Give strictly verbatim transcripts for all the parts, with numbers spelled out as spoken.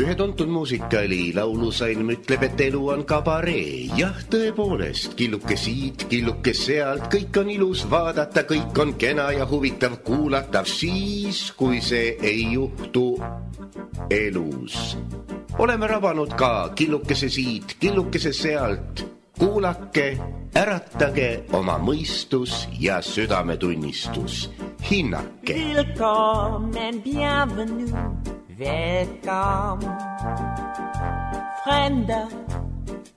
Ühe tuntud muusikali laulusalm ütleb, et elu on kabaree. Jah, tõepoolest, killuke siit, killuke sealt, kõik on ilus vaadata, kõik on kena ja huvitav kuulata, siis, kui see ei juhtu elus. Oleme rabanud ka killukese siit, killukese sealt. Kuulake, äratage oma mõistus ja südametunnistus. Hinnake. Willkommen, bienvenue, welcome. Fremder,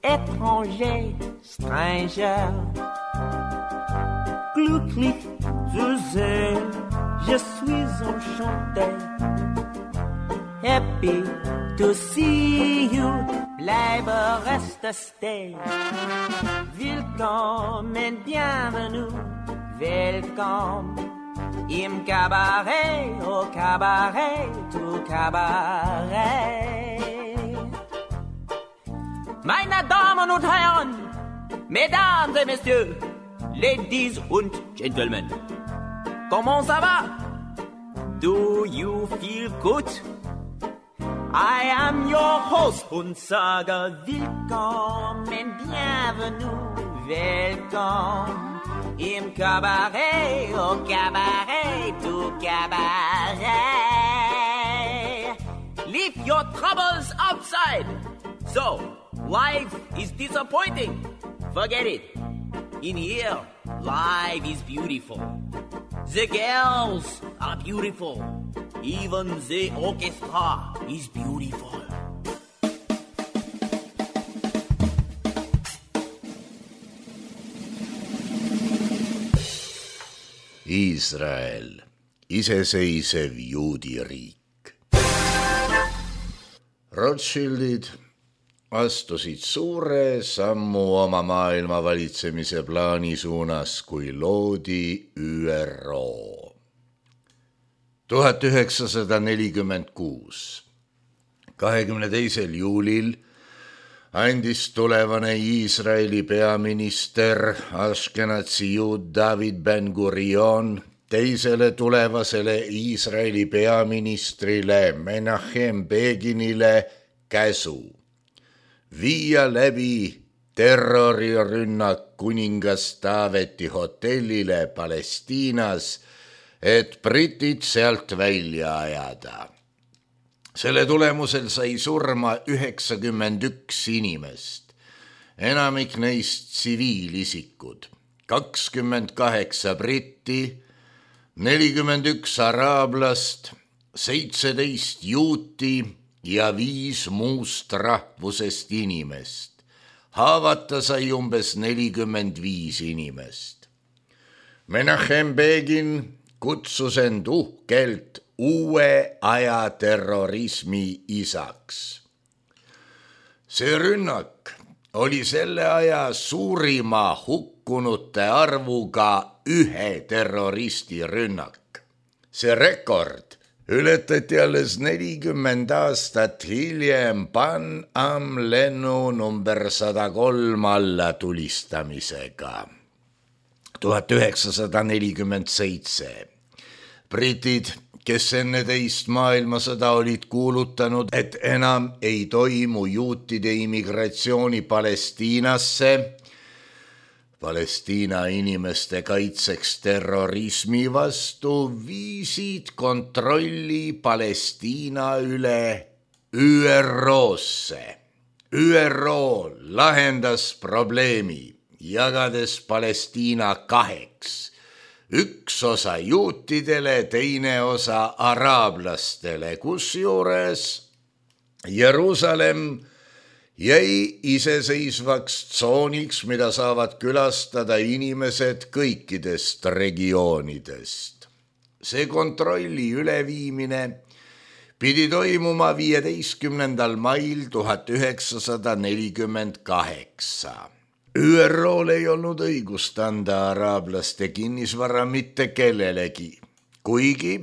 étranger, stranger. Glücklich zu sehen, je suis enchanté. Happy to see you, bleibe reste stay. Willkommen, bienvenue, welcome. Im Cabaret, au Cabaret, au Cabaret. Meine Damen und Herren, Mesdames et Messieurs, Ladies und Gentlemen, comment ça va? Do you feel good? I am your host und sage willkommen, bienvenue, welcome. Im Cabaret, au Cabaret, au Cabaret. Leave your troubles outside. So, life is disappointing. Forget it. In here, life is beautiful. The girls are beautiful. Even the orchestra is beautiful. Iisrael, iseseisev juudiriik. Rothschildid astusid suure sammu oma maailma valitsemise plaani suunas, kui loodi Ü R O. tuhat üheksasada nelikümmend kuus. kahekümne teisel juulil andis tulevane Iisraeli peaminister Ashkenazi juud David Ben-Gurion teisele tulevasele Iisraeli peaministrile Menachem Beginile käsu viia läbi terrorirünnak kuningas Taaveti hotellile Palestiinas, et britid sealt välja ajada. Selle tulemusel sai surma üheksakümmend üks inimest, enamik neist tsiviilisikud, kakskümmend kaheksa britti, nelikümmend üks araablast, seitseteist juuti ja viis muust rahvusest inimest. Haavata sai umbes nelikümmend viis inimest. Menachem Begin kutsus end uhkelt uue aja terrorismi isaks. See rünnak oli selle aja suurima hukkunute arvuga ühe terroristi rünnak. See rekord ületati alles nelikümmend aastat hiljem Pan Am lennu number sada kolm alla tulistamisega. tuhat üheksasada nelikümmend seitse. Britid, kes enne teist maailmasõda olid kuulutanud, et enam ei toimu juutide immigratsiooni Palestiinasse, Palestiina inimeste kaitseks terrorismi vastu, viisid kontrolli Palestiina üle Ü R O-sse. Ü R O lahendas probleemi, jagades Palestiina kaheks. Üks osa juutidele, teine osa araablastele, kusjuures Jeruusalemm jäi iseseisvaks tsooniks, mida saavad külastada inimesed kõikidest regioonidest. See kontrolli üleviimine pidi toimuma viieteistkümnendal mail tuhat üheksasada nelikümmend kaheksa. Ü R O-l ei olnud õigust anda araablaste kinnisvara mitte kellelegi, kuigi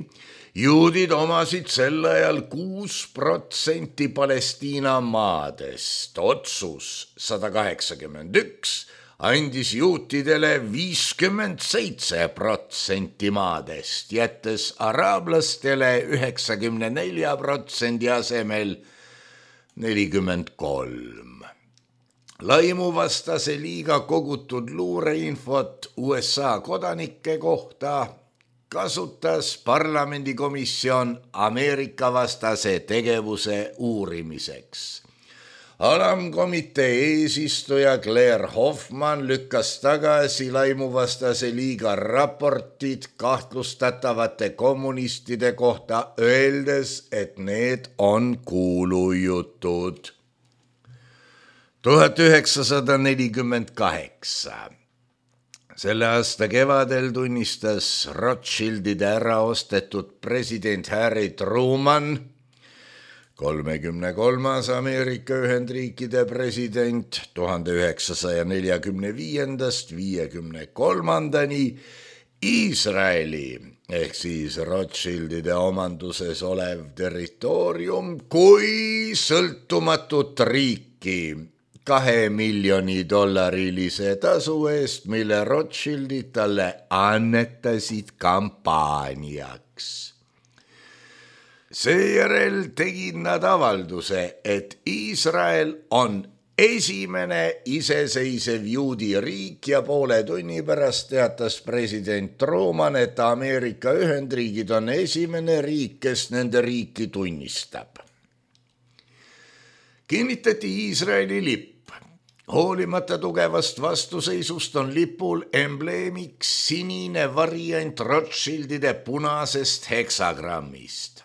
juudid omasid sel ajal kuus protsenti Palestiina maadest, otsus sada kaheksakümmend üks, andis juutidele viiskümmend seitse protsenti maadest, jättes araablastele üheksakümne nelja protsendi asemel nelikümmend kolm. Laimuvastase liiga kogutud luureinfot U S A kodanike kohta kasutas parlamendikomisjon Ameerika vastase tegevuse uurimiseks. Alamkomitee eesistuja Claire Hoffman lükkas tagasi laimuvastase liiga raportid kahtlustatavate kommunistide kohta, öeldes, et need on kuulujutud. tuhat üheksasada nelikümmend kaheksa. Selle aasta kevadel tunnistas Rothschildide ära ostetud president Harry Truman, kolmekümne kolmas Ameerika Ühendriikide president tuhande üheksasaja neljakümne viiendast viiekümne kolmandani Iisraeli ehk siis Rothschildide omanduses olev territoorium kui sõltumatut riiki kahe miljoni dollarilise tasu eest, mille Rothschildid talle annetasid kampaaniaks. Seejärel tegid nad avalduse, et Iisrael on esimene iseseisev juudi riik ja poole tunni pärast teatas president Truman, et Ameerika Ühendriigid on esimene riik, kes nende riiki tunnistab. Kinnitati Iisraeli lipp. Hoolimata tugevast vastuseisust on lipul embleemiks sinine variant Rothschildide punasest heksagrammist.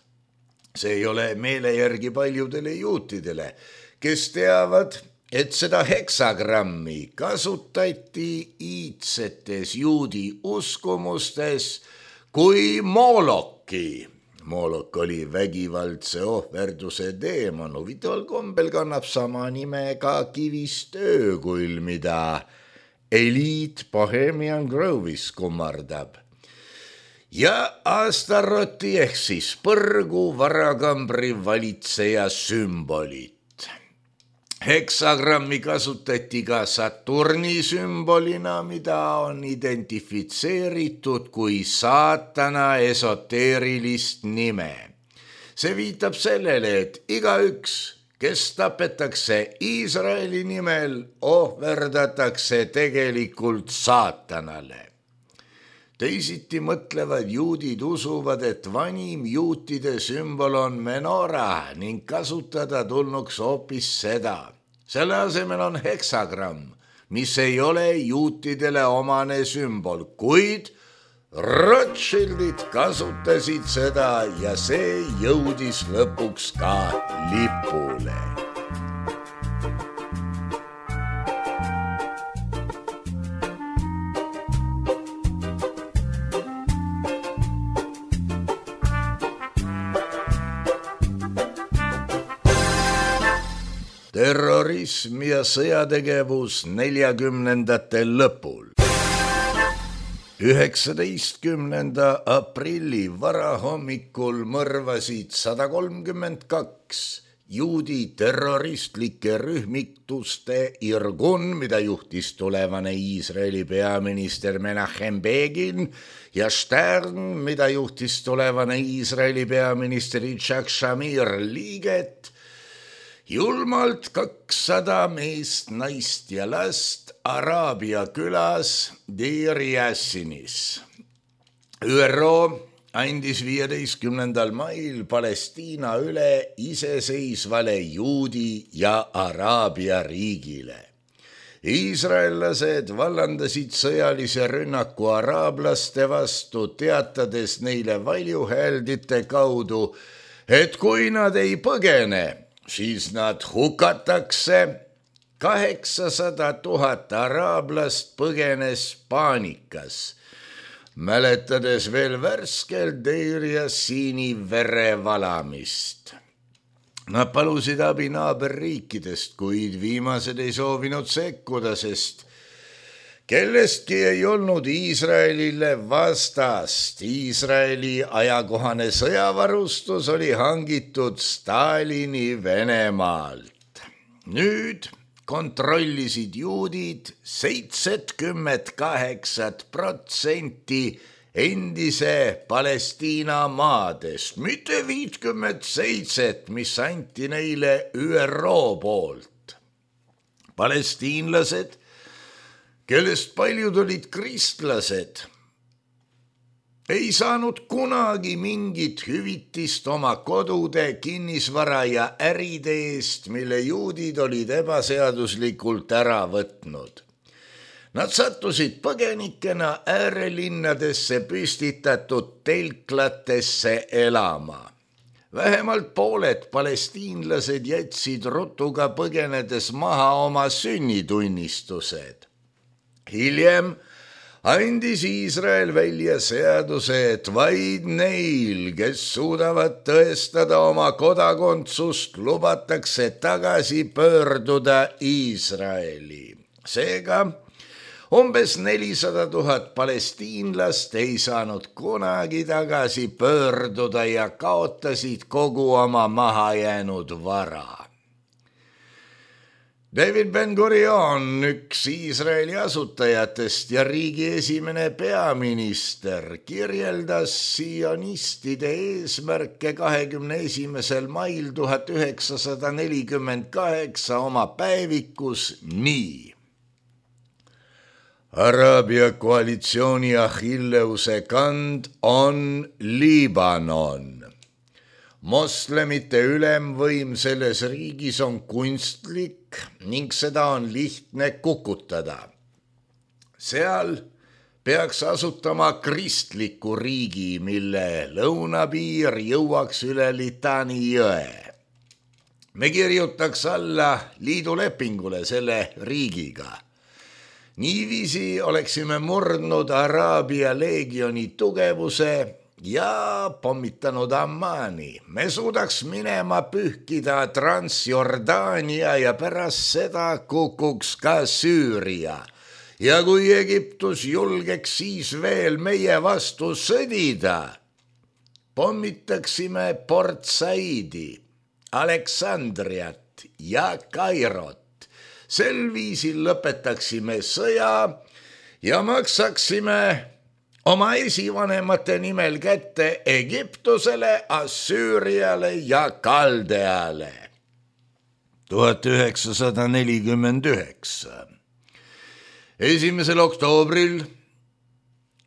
See ei ole meele järgi paljudele juutidele, kes teavad, et seda heksagrammi kasutati iidsetes juudi uskumustes kui Moloki. Molok oli vägivaldse ohverduse teemon, huvitaval kombel kannab sama nime ka kivist öökull, mida Elite Bohemian Grove'is kummardab. Ja Astaroti ehk siis põrgu varakambri valitseja sümbolit. Heksagrammi kasutati ka Saturni sümbolina, mida on identifitseeritud kui saatana esoteerilist nime. See viitab sellele, et igaüks, kes tapetakse Iisraeli nimel, ohverdatakse tegelikult saatanale. Teisiti mõtlevad juudid usuvad, et vanim juutide sümbol on menora ning kasutada tulnuks hoopis seda. Selle asemel on heksagramm, mis ei ole juutidele omane sümbol, kuid Rothschildid kasutasid seda ja see jõudis lõpuks ka lipule. Terrorism ja sõjategevus neljakümnendate lõpul. üheksateistkümnenda aprilli varahommikul mõrvasid sada kolmkümmend kaks juudi terroristlike rühmituste Irgun, mida juhtis tulevane Iisraeli peaminister Menachem Begin, ja Stern, mida juhtis tulevane Iisraeli peaminister Yitzhak Shamir liiget, julmalt kakssada meest, naist ja last Araabia külas Deir Yassinis. ÜRO andis viieteistkümnendal mail Palestiina üle iseseisvale juudi ja Araabia riigile. Iisraellased vallandasid sõjalise rünnaku araablaste vastu, teatades neile valjuhääldite kaudu, et kui nad ei põgene, siis nad hukatakse. kaheksasada tuhat araablast põgenes paanikas, mäletades veel värskelt Deir Yassini verevalamist. Nad palusid abi naaberriikidest, kuid viimased ei soovinud sekkuda, sest kellestki ei olnud Iisraelile vastast. Iisraeli ajakohane sõjavarustus oli hangitud Stalini Venemaalt. Nüüd kontrollisid juudid seitsekümmend kaheksat protsenti endise Palestiina maadest, mitte viitkümmend seitset, mis anti neile Ü R O poolt. Palestiinlased, kellest paljud olid kristlased, ei saanud kunagi mingit hüvitist oma kodude, kinnisvara ja äride eest, mille juudid olid ebaseaduslikult ära võtnud. Nad sattusid põgenikena äärelinnadesse püstitatud telklatesse elama. Vähemalt pooled palestiinlased jätsid rutuga põgenedes maha oma sünnitunnistused. Hiljem andis Iisrael välja seaduse, et vaid neil, kes suudavad tõestada oma kodakondsust, lubatakse tagasi pöörduda Iisraeli. Seega umbes nelisada tuhat palestiinlast ei saanud kunagi tagasi pöörduda ja kaotasid kogu oma mahajäänud vara. David Ben-Gurion, üks Iisraeli asutajatest ja riigi esimene peaminister, kirjeldas sionistide eesmärke kahekümne esimesel mail tuhat üheksasada nelikümmend kaheksa oma päevikus nii. Araabia koalitsiooni Achilleuse kand on Liibanon. Moslemite ülemvõim selles riigis on kunstlik ning seda on lihtne kukutada. Seal peaks asutama kristliku riigi, mille lõunapiir jõuaks üle Litani jõe. Me kirjutaks alla liidulepingule selle riigiga. Niiviisi oleksime murdnud Araabia leegioni tugevuse ja pommitanud Ammani. Me suudaks minema pühkida Transjordaania ja pärast seda kukuks ka Süüria. Ja kui Egiptus julgeks siis veel meie vastu sõdida, pommitaksime Port Saidi, Aleksandriat ja Kairot. Sel viisil lõpetaksime sõja ja maksaksime oma esivanemate nimel kätte Egiptusele, Assüüriale ja Kaldeale. tuhat üheksasada nelikümmend üheksa. Esimesel oktoobril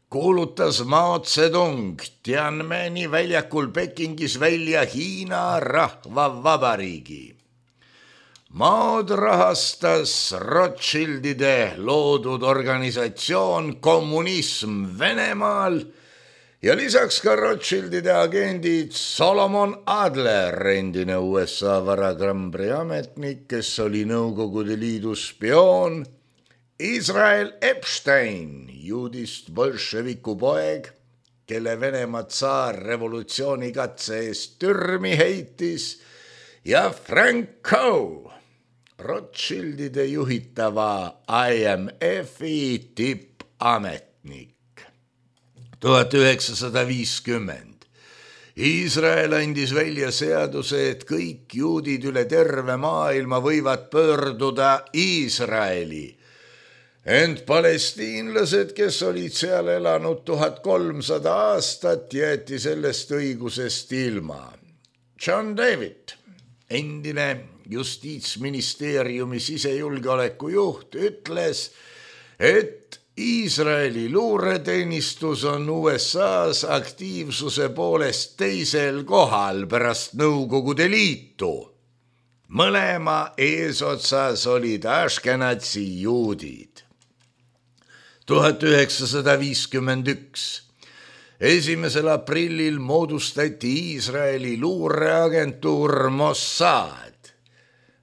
kuulutas Mao Zedong Tiananmeni väljakul Pekingis välja Hiina rahvavabariigi. Maod rahastas Rothschildide loodud organisatsioon Kommunism Venemaal ja lisaks ka Rothschildide agendid Solomon Adler, endine U S A varakrambri ametnik, kes oli Nõukogude Liidu spioon, Israel Epstein, juudist bolševiku poeg, kelle Venemaa tsaar revolutsioonikatse eest türmi heitis, ja Frank Coe, Rothschildide juhitava I M F-i tippametnik. tuhat üheksasada viiskümmend. Iisrael andis välja seaduse, et kõik juudid üle terve maailma võivad pöörduda Iisraeli. Ent palestiinlased, kes olid seal elanud tuhat kolmsada aastat, jäeti sellest õigusest ilma. John David, endine Justiitsministeeriumi sisejulgeoleku juht, ütles, et Iisraeli luureteenistus on U S A-s aktiivsuse poolest teisel kohal pärast Nõukogude Liitu. Mõlema eesotsas olid Ashkenazi juudid. tuhat üheksasada viiskümmend üks. Esimesel aprillil moodustati Iisraeli luureagentuur Mossad,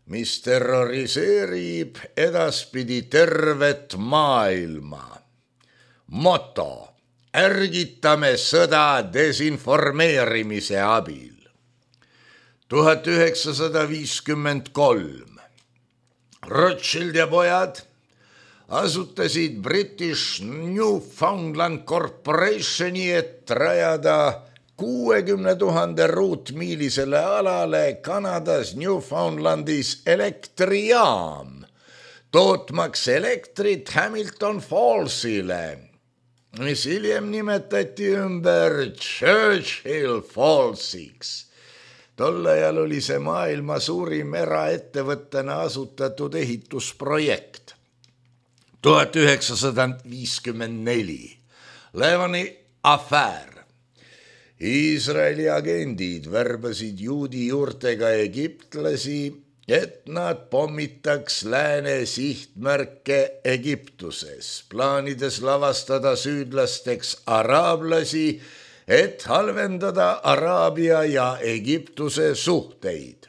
mis terroriseerib edaspidi tervet maailma. Moto: ärgitame sõda desinformeerimise abil. tuhat üheksasada viiskümmend kolm. Rothschild ja pojad asutasid British Newfoundland Corporationi, et rajada kuuekümne tuhande ruutmiilisele alale Kanadas Newfoundlandis elektrijaam, tootmaks elektrit Hamilton Fallsile, mis hiljem nimetati ümber Churchill Fallsiks. Tol ajal oli see maailma suurim eraettevõttena asutatud ehitusprojekt. tuhat üheksasada viiskümmend neli. Levani afäär. Iisraeli agendid värbasid juudi juurtega egiptlasi, et nad pommitaks lääne sihtmärke Egiptuses, plaanides lavastada süüdlasteks araablasi, et halvendada Araabia ja Egiptuse suhteid.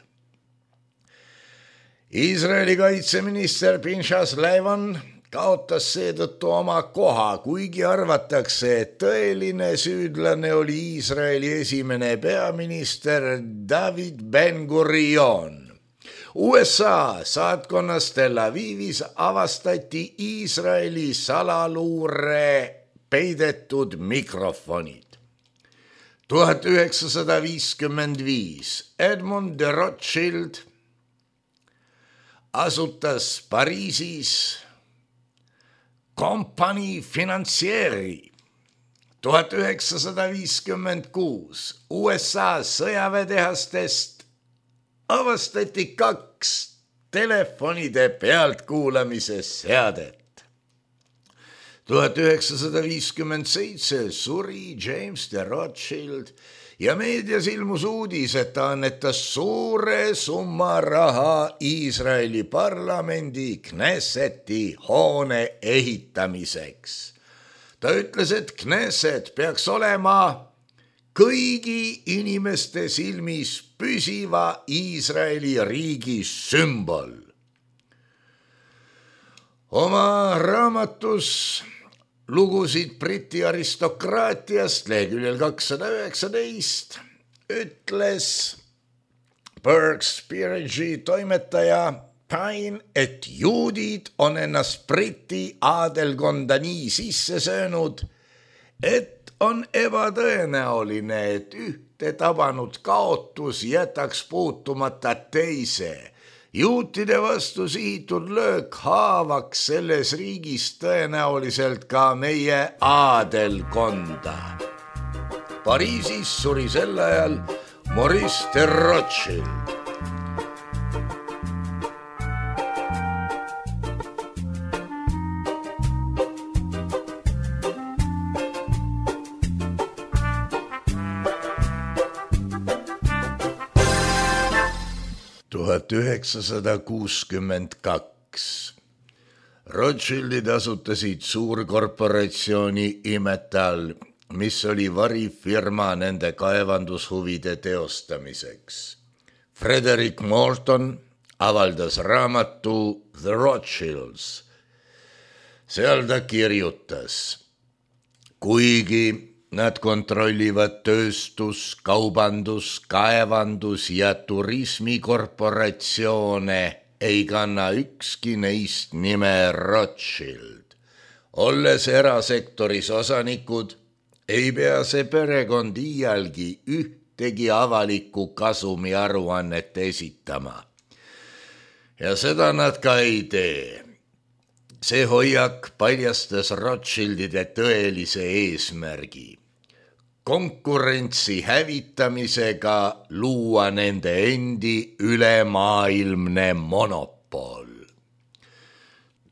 Iisraeli kaitseminister Pinchas Levan kaotas seetõttu oma koha, kuigi arvatakse, et tõeline süüdlane oli Iisraeli esimene peaminister David Ben-Gurion. U S A saatkonnas Tel Avivis avastati Iisraeli salaluure peidetud mikrofonid. tuhat üheksasada viiskümmend viis. Edmond de Rothschild asutas Pariisis kompanii Financieri. tuhat üheksasada viiskümmend kuus. U S A sõjaväetehastest avastati kaks telefonide pealtkuulamise seadet. tuhat üheksasada viiskümmend seitse suri James de Rothschild ja meedias ilmus uudis, et ta annetas suure summa raha Iisraeli parlamendi Knesseti hoone ehitamiseks. Ta ütles, et Knesset peaks olema kõigi inimeste silmis püsiva Iisraeli riigi sümbol. Oma raamatus lugusid Briti aristokraatiast leheküljel kakssada üheksateist ütles Burke's Peerage toimetaja Pine, et juudid on ennast Briti aadelkonda nii sisse söönud, et on ebatõenäoline, et ühte tabanud kaotus jätaks puutumata teise. Juutide vastu sihitud löök haavaks selles riigis tõenäoliselt ka meie aadelkonda. Pariisis suri sel ajal Maurice de Rothschild. tuhat üheksasada kuuskümmend kaks. Rothschildid asutasid suurkorporatsiooni Imetal, mis oli varifirma nende kaevandushuvide teostamiseks. Frederick Morton avaldas raamatu The Rothschilds. Seal ta kirjutas: kuigi nad kontrollivad tööstus, kaubandus, kaevandus ja turismikorporatsioone, ei kanna ükski neist nime Rothschild. Olles erasektoris osanikud, ei pea see perekond iialgi ühtegi avalikku kasumi aruannet esitama. Ja seda nad ka ei tee. See hoiak paljastas Rothschildide tõelise eesmärgi: konkurentsi hävitamisega luua nende endi ülemaailmne monopol.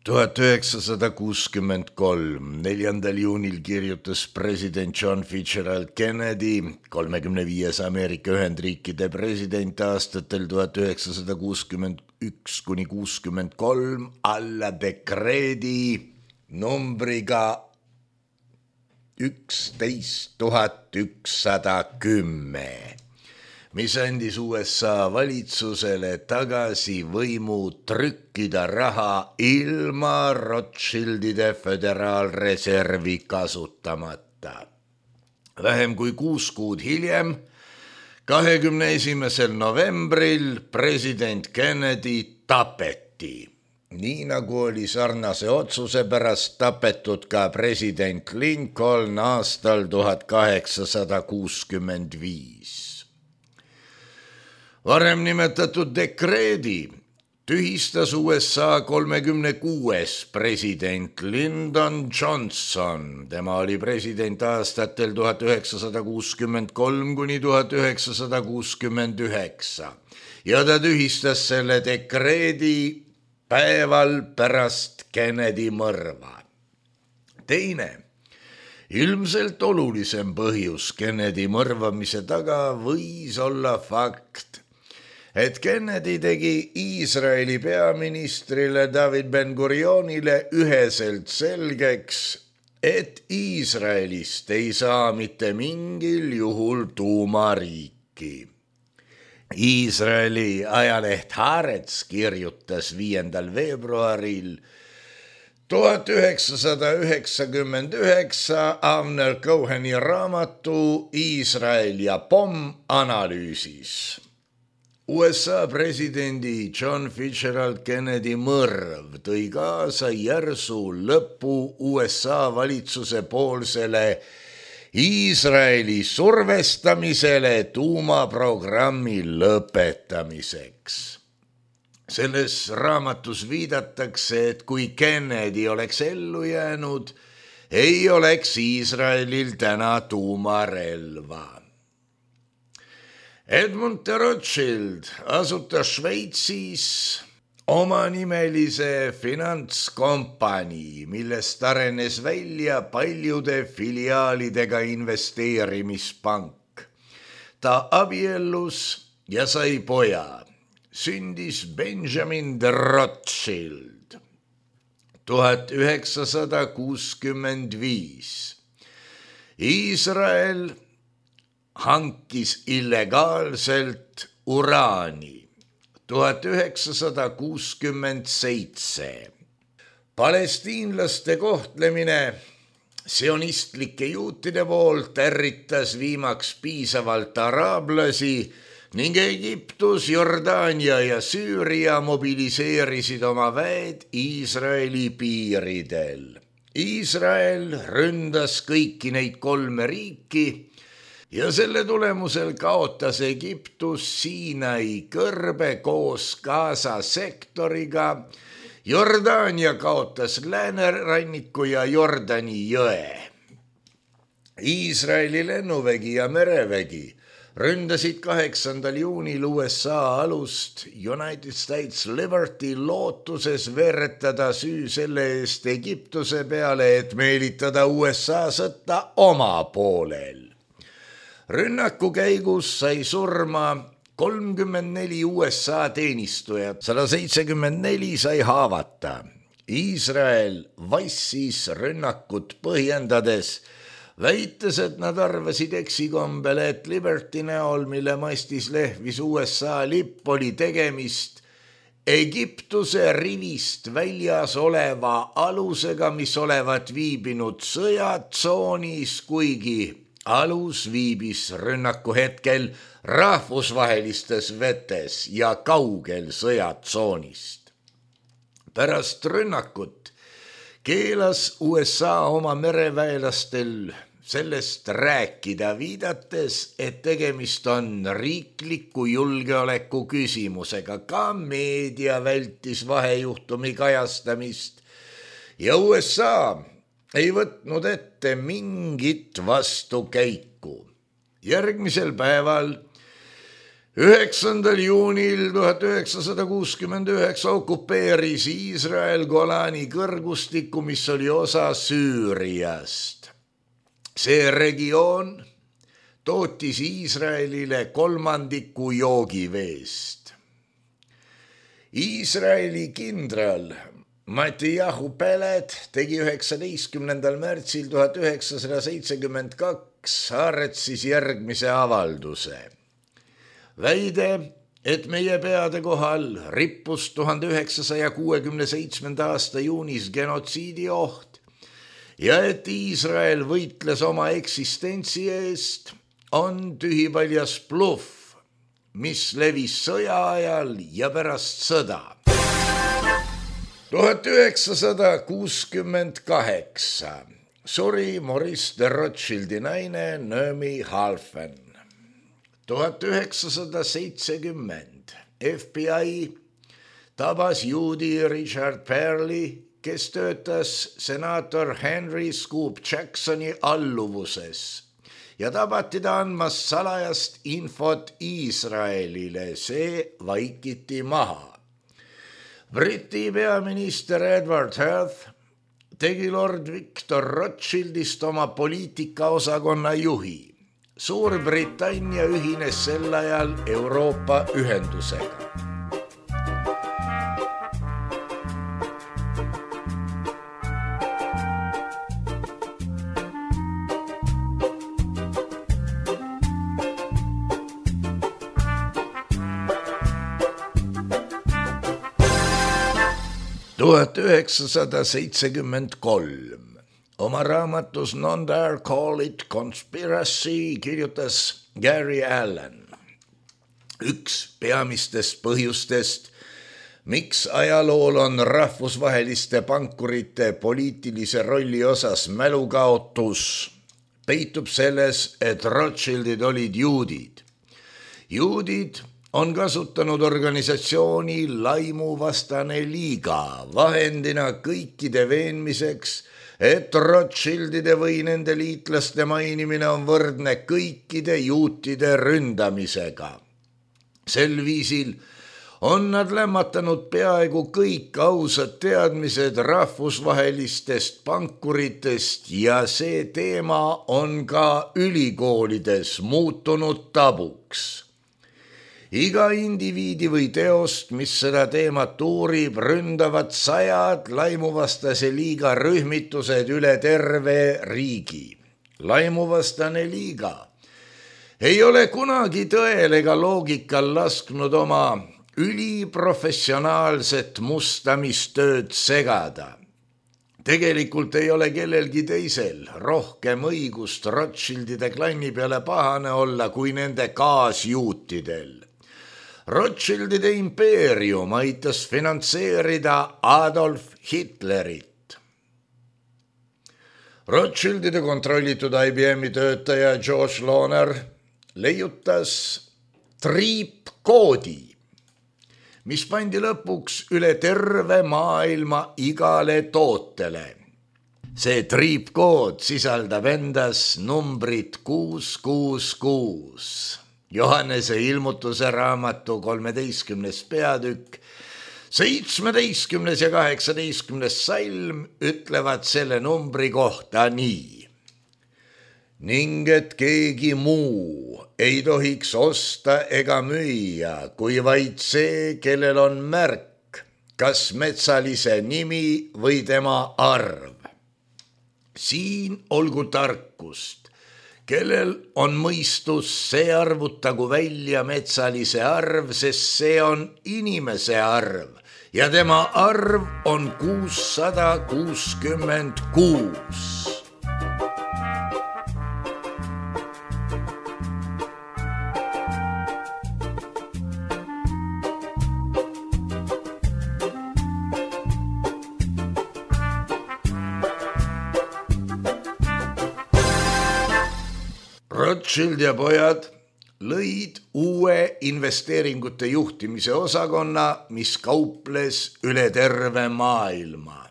tuhat üheksasada kuuskümmend kolm. neljandal juunil kirjutas president John Fitzgerald Kennedy, kolmekümne viies Ameerika Ühendriikide president aastatel tuhat üheksasada kuuskümmend üks kuni kuuskümmend kolm, alla dekreedi numbriga üksteist tuhat ükssada kümme, mis andis U S A valitsusele tagasi võimu trükkida raha ilma Rothschildide föderaalreservi kasutamata. Vähem kui kuus kuud hiljem, kahekümne esimesel novembril president Kennedy tapeti. Nii nagu oli sarnase otsuse pärast tapetud ka president Lincoln aastal tuhat kaheksasada kuuskümmend viis. Varem nimetatud dekreedi tühistas U S A kolmekümne kuues president Lyndon Johnson. Tema oli president aastatel tuhat üheksasada kuuskümmend kolm kuni tuhat üheksasada kuuskümmend üheksa ja ta tühistas selle dekreedi päeval pärast Kennedy mõrva. Teine, ilmselt olulisem põhjus Kennedy mõrvamise taga võis olla fakt, et Kennedy tegi Iisraeli peaministrile David Ben-Gurionile üheselt selgeks, et Iisraelist ei saa mitte mingil juhul tuumariiki. Iisraeli ajaleht Haaretz kirjutas viiendal veebruaril tuhat üheksasada üheksakümmend üheksa Avner Coheni raamatu Iisrael ja pomm analüüsis. U S A presidendi John Fitzgerald Kennedy mõrv tõi kaasa järsu lõpu U S A valitsuse poolsele Iisraeli survestamisele tuumaprogrammi lõpetamiseks. Selles raamatus viidatakse, et kui Kennedy oleks ellu jäänud, ei oleks Iisraelil täna tuumarelva. Edmund de Rothschild asutas Šveitsis omanimelise finantskompanii, millest arenes välja paljude filiaalidega investeerimispank. Ta abiellus ja sai poja. Sündis Benjamin de Rothschild tuhat üheksasada kuuskümmend viis. Iisrael hankis illegaalselt uraani tuhat üheksasada kuuskümmend seitse. Palestiinlaste kohtlemine sionistlike juutide poolt ärritas viimaks piisavalt araablasi ning Egiptus, Jordaania ja Süüria mobiliseerisid oma väed Iisraeli piiridel. Iisrael ründas kõiki neid kolme riiki ja selle tulemusel kaotas Egiptus Siinai kõrbe koos Gaza sektoriga, Jordaania kaotas lääneranniku ja Jordani jõe. Iisraeli lennuvägi ja merevägi ründasid kaheksandal juunil U S A alust United States Liberty lootuses veeretada süü selle eest Egiptuse peale, et meelitada U S A sõtta oma poolel. Rünnaku käigus sai surma kolmkümmend neli U S A teenistujat, sada seitsekümmend neli sai haavata. Iisrael vassis rünnakut põhjendades, väites, et nad arvasid eksikombel, et Liberty näol, mille mastis lehvis U S A lipp, oli tegemist Egiptuse rivist väljas oleva alusega, mis olevat viibinud sõjatsoonis, kuigi alus viibis rünnaku hetkel rahvusvahelistes vetes ja kaugel sõjatsoonist. Pärast rünnakut keelas U S A oma mereväelastel sellest rääkida, viidates, et tegemist on riikliku julgeoleku küsimusega. Ka meedia vältis vahejuhtumi kajastamist ja U S A ei võtnud ette mingit vastukäiku. Järgmisel päeval, üheksandal juunil tuhat üheksasada kuuskümmend üheksa okupeeris Iisrael Golani kõrgustiku, mis oli osa Süüriast. See regioon tootis Iisraelile kolmandiku joogiveest. Iisraeli kindral Mattijahu Pelet tegi üheksateistkümnendal märtsil tuhat üheksasada seitsekümmend kaks Haaretzis järgmise avalduse. Väide, et meie peade kohal rippus tuhande üheksasaja kuuekümne seitsmenda aasta juunis genotsiidi oht ja et Iisrael võitles oma eksistentsi eest, on tühipaljas bluff, mis levis sõja ajal ja pärast sõda. tuhat üheksasada kuuskümmend kaheksa suri Maurice de Rothschildi naine Naomi Halfen. tuhat üheksasada seitsekümmend F B I tabas juudi Richard Perley, kes töötas senaator Henry Scoop Jacksoni alluvuses ja tabati ta andmas salajast infot Iisraelile, see vaikiti maha. Briti peaminister Edward Heath tegi Lord Victor Rothschildist oma poliitikaosakonna juhi. Suurbritannia ühines sel ajal Euroopa ühendusega. tuhat üheksasada seitsekümmend kolm. Oma raamatus Non Dare Call It Conspiracy kirjutas Gary Allen. Üks peamistest põhjustest, miks ajalool on rahvusvaheliste pankurite poliitilise rolli osas mälukaotus, peitub selles, et Rothschildid olid juudid. Juudid on kasutanud organisatsiooni Laimuvastane liiga vahendina kõikide veenmiseks, et Rothschildide või nende liitlaste mainimine on võrdne kõikide juutide ründamisega. Sel viisil on nad lämmatanud peaaegu kõik ausad teadmised rahvusvahelistest pankuritest ja see teema on ka ülikoolides muutunud tabuks. Iga indiviidi või teost, mis seda teemat uurib, ründavad sajad laimuvastase liiga rühmitused üle terve riigi. Laimuvastane liiga ei ole kunagi tõel ega loogikal lasknud oma üliprofessionaalset mustamistööd segada. Tegelikult ei ole kellelgi teisel rohkem õigust Rothschildide klanni peale pahane olla kui nende kaasjuutidel. Rothschildide impeerium aitas finantseerida Adolf Hitlerit. Rothschildide kontrollitud I B M-i töötaja George Lohner leiutas triipkoodi, mis pandi lõpuks üle terve maailma igale tootele. See triipkood sisaldab endas numbrit kuus kuus kuus. Johannese ilmutuse raamatu kolmeteistkümnes peatükk, seitsmeteistkümnes ja kaheksateistkümnes salm ütlevad selle numbri kohta nii. Ning et keegi muu ei tohiks osta ega müüa, kui vaid see, kellel on märk, kas metsalise nimi või tema arv. Siin olgu tarkust. Kellel on mõistus, see arvutagu välja metsalise arv, sest see on inimese arv ja tema arv on kuussada kuuskümmend kuus. Rothschild ja pojad lõid uue investeeringute juhtimise osakonna, mis kauples üle terve maailma.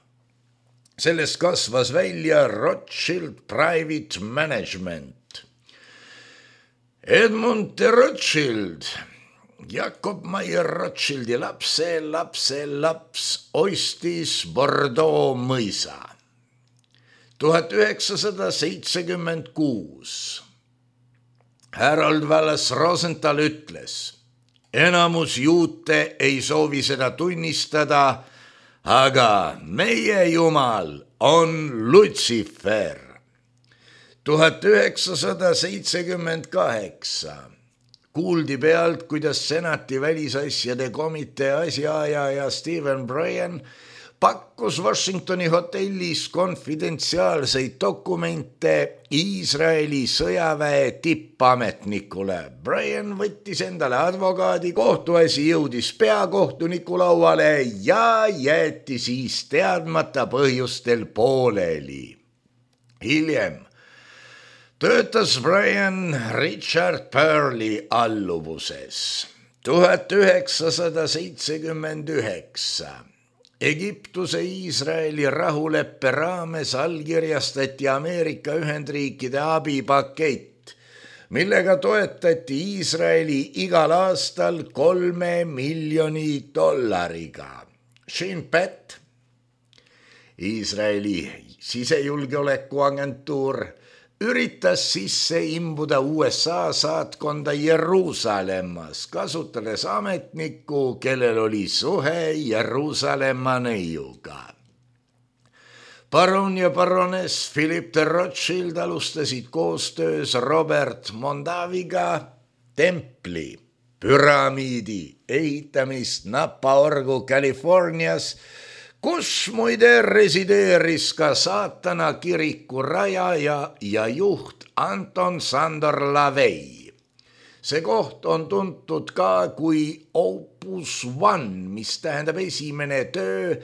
Sellest kasvas välja Rothschild Private Management. Edmund de Rothschild, Jakob Maier Rothschildi lapse, lapse, laps ostis Bordeaux mõisa. tuhat üheksasada seitsekümmend kuus. Harold Wallace Rosenthal ütles, enamus juute ei soovi seda tunnistada, aga meie jumal on Lutsifer. tuhat üheksasada seitsekümmend kaheksa. Kuuldi pealt, kuidas senati välisasjade komitee asjaajaja Stephen Bryan pakkus Washingtoni hotellis konfidentsiaalseid dokumente Iisraeli sõjaväe tippametnikule. Bryan võttis endale advokaadi, kohtuasi jõudis peakohtuniku lauale ja jäeti siis teadmata põhjustel pooleli. Hiljem töötas Bryan Richard Perley alluvuses. tuhat üheksasada seitsekümmend üheksa. Egiptuse Iisraeli rahuleppe raames allkirjastati Ameerika Ühendriikide abipakett, millega toetati Iisraeli igal aastal kolme miljoni dollariga. Shin Bet, Iisraeli sisejulgeolekuagentuur, üritas sisse imbuda U S A saatkonda Jeruusalemmas, kasutades ametnikku, kellel oli suhe Jeruusalemma neiuga. Baron ja baroness Philip de Rothschild alustasid koostöös Robert Mondaviga templi, püramiidi ehitamist Napa-Orgu Californias, kus muide resideeris ka saatana kiriku rajaja ja juht Anton Sandor Lavey. See koht on tuntud ka kui Opus One, mis tähendab esimene töö,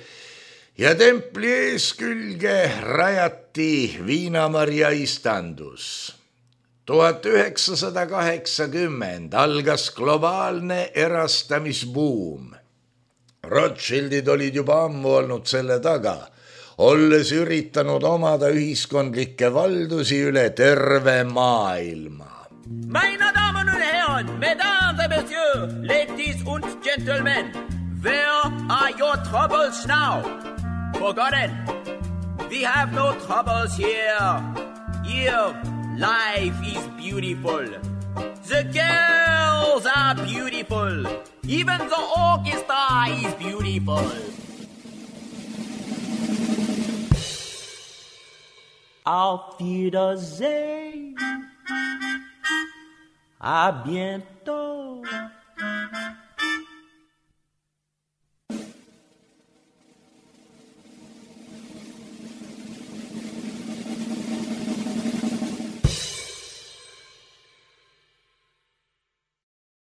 ja templi eeskülge rajati Viina-Maria istandus. tuhat üheksasada kaheksakümmend algas globaalne erastamisbuum. Rothschildid olid juba ammu olnud selle taga, olles üritanud omada ühiskondlikke valdusi üle terve maailma. Meine Damen und Herren, Mesdames et Messieurs, Ladies und Gentlemen, where are your troubles now? Forgotten. We have no troubles here. Here, life is beautiful. The girls are beautiful. Even the orchestra is beautiful. Auf Wiedersehen. À bientôt.